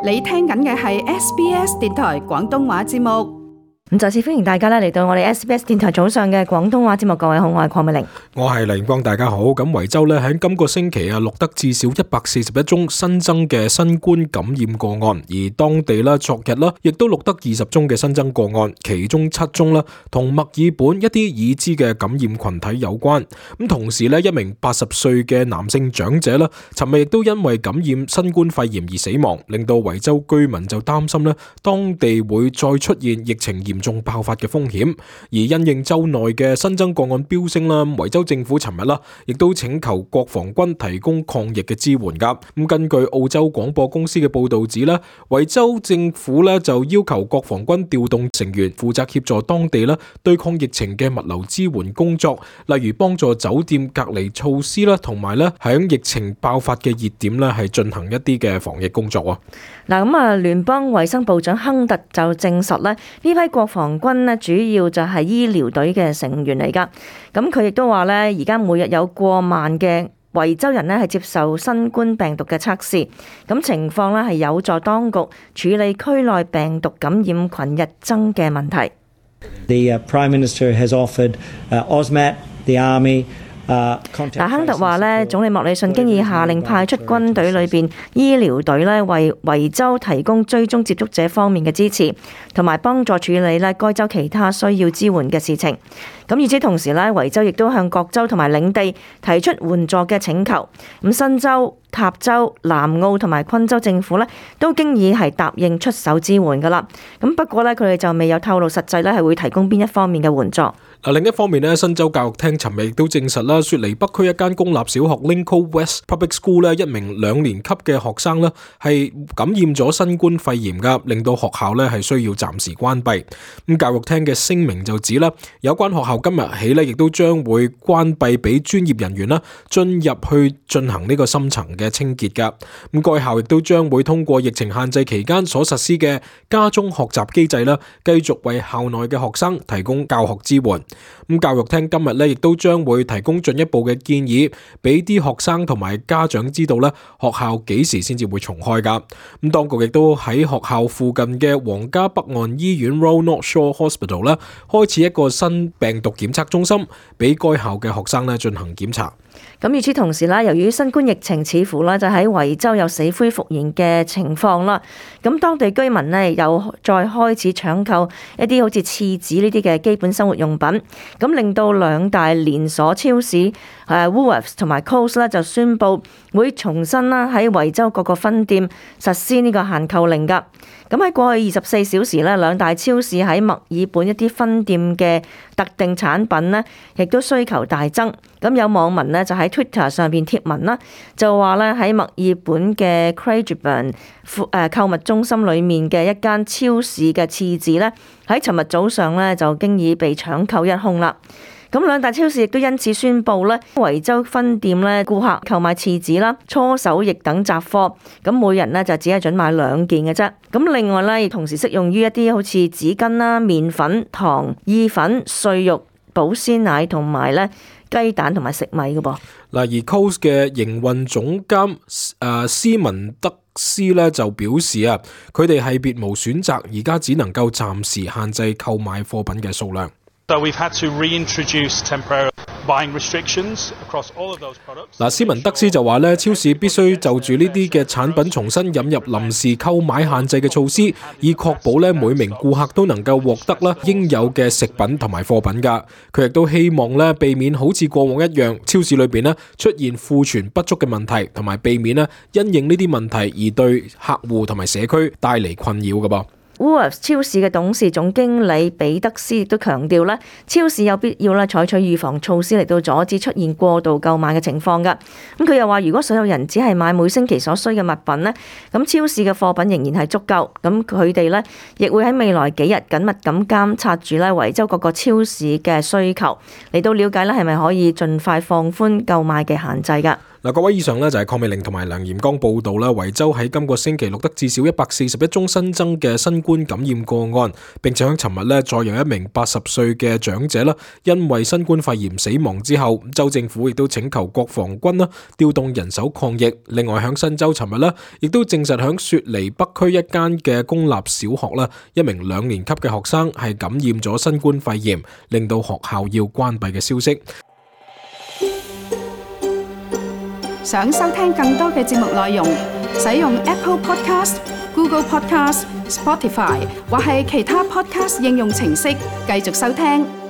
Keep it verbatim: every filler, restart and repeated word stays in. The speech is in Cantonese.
你聽緊嘅係 S B S 電台廣東話節目。咁再次歡迎大家咧嚟到我哋 S B S 電台早上嘅廣東話節目。各位好，我係鄺美玲，我係黎光，大家好。咁維州咧喺今個星期啊錄得至少一百四十一宗新增嘅新冠感染個案，而當地啦昨日啦亦都錄得二十宗嘅新增個案，其中七宗啦同墨爾本一啲已知嘅感染群體有關。咁同時咧一名八十歲嘅男性長者啦，尋日亦都因為感染新冠肺炎而死亡，令到維州居民就擔心咧當地會再出現疫情嚴重爆發嘅風險。而因應州內嘅新增個案飆升啦，維州政府尋日啦亦都請求國防軍提供抗疫嘅支援噶。咁根據澳洲廣播公司嘅報道指咧，維州政府咧就要求國防軍調動成員負責協助當地咧對抗疫情嘅物流支援工作，例如幫助酒店隔離措施啦，同埋咧響疫情爆發嘅熱點咧係進行一啲嘅防疫工作啊。嗱咁啊，聯邦衛生部長亨特就證實咧，呢批國防軍咧主要就係醫療隊嘅成員嚟噶。咁佢亦都話咧，而家每日有過萬嘅維州人咧係接受新冠病毒嘅測試，咁情況咧係有助當局處理區內病毒感染群日增嘅問題。The Prime Minister has offered AUSMAT, the Army.嗱，亨特話咧，總理莫里遜經已下令派出軍隊裏邊醫療隊咧，為維州提供追蹤接觸者方面嘅支持，同埋幫助處理咧該州其他需要支援嘅事情。咁與此同時咧，維州亦都向各州同埋領地提出援助嘅請求。咁新州、塔州、南澳同埋昆州政府咧都經已係答應出手支援噶啦。咁不過咧，佢哋就未有透露實際咧係會提供邊一方面嘅援助。另一方面咧，新州教育廳尋日亦都證實啦，雪梨北區一間公立小學 Lincoln West Public School 咧，一名兩年級嘅學生咧係感染咗新冠肺炎噶，令到學校咧係需要暫時關閉。咁教育廳嘅聲明就指啦，有關學校今日起咧亦都將會關閉俾專業人員啦進入去進行呢個深層嘅清潔噶。咁該校亦都將會通過疫情限制期間所實施嘅家中學習機制啦，繼續為校內嘅學生提供教學支援。咁教育廳今日咧，亦都將會提供進一步嘅建議，俾啲學生同埋家長知道咧，學校幾時先至會重開噶。咁當局亦都喺學校附近嘅皇家北岸醫院 Royal North Shore Hospital 咧，開始一個新病毒檢測中心，俾該校嘅學生咧進行檢查。咁與此同時啦，由於新冠疫情似乎咧就喺維州有死灰復燃嘅情況啦，咁當地居民咧又再開始搶購一啲好似廁紙呢啲嘅基本生活用品，咁令到兩大連鎖超市誒 Woolworths 同埋 Coles 咧就宣布會重新啦喺維州各個分店實施呢個限購令噶。咁喺過去二十四小時咧，兩大超市喺墨爾本一啲分店嘅特定產品咧，亦都需求大增。咁有網民咧就喺 Twitter 上邊貼文啦，就話咧喺墨爾本嘅 Craigieburn 誒購物中心裏面嘅一間超市嘅廁紙咧，喺尋日早上咧就經已被搶購一空啦。咁兩大超市亦都因此宣布咧，維州分店咧顧客購買廁紙啦、搓手液等雜貨，咁每人咧就只係準買兩件嘅啫。咁另外咧，亦同時適用於一啲好似紙巾啦、麵粉、糖、意粉、碎肉、保鮮奶同埋咧雞蛋同埋食米嘅噃。嗱，而 Coles 嘅營運總監誒斯文德斯咧就表示啊，佢哋係別無選擇，而家只能夠暫時限制購買貨品嘅數量。So we've had to reintroduce temporary buying restrictions across all of those products. 嗱，斯文德斯就話咧，超市必須就住呢啲嘅產品重新引入臨時購買限制嘅措施，以確保咧每名顧客都能夠獲得咧應有嘅食品同埋貨品㗎。佢亦都希望咧避免好似過往一樣，超市裏邊咧出現庫存不足嘅問題，同埋避免咧因應呢啲問題而對客戶同埋社區帶嚟困擾㗎噃。Woolworths 超市嘅董事總經理彼得斯亦都強調咧，超市有必要咧採取預防措施嚟到阻止出現過度購買嘅情況㗎。咁佢又話，如果所有人只係買每星期所需嘅物品咧，咁超市嘅貨品仍然係足夠。咁佢哋咧亦會喺未來幾日緊密咁監察住咧維州各個超市嘅需求，嚟到了解咧係咪可以盡快放寬購買嘅限制㗎。嗱，各位，以上呢就係鄺美玲同埋梁炎剛報道啦。維州喺今個星期錄得至少一百四十一宗新增嘅新冠感染個案，並且喺尋日呢再有一名八十歲嘅長者啦，因為新冠肺炎死亡之後，州政府亦都請求國防軍啦調動人手抗疫。另外喺新州尋日呢亦都證實喺雪梨北區一間嘅公立小學啦，一名兩年級嘅學生係感染咗新冠肺炎，令到學校要關閉嘅消息。想收聽更多嘅節目內容，使用 Apple Podcast、Google Podcast、Spotify 或係其他 Podcast 應用程式繼續收聽。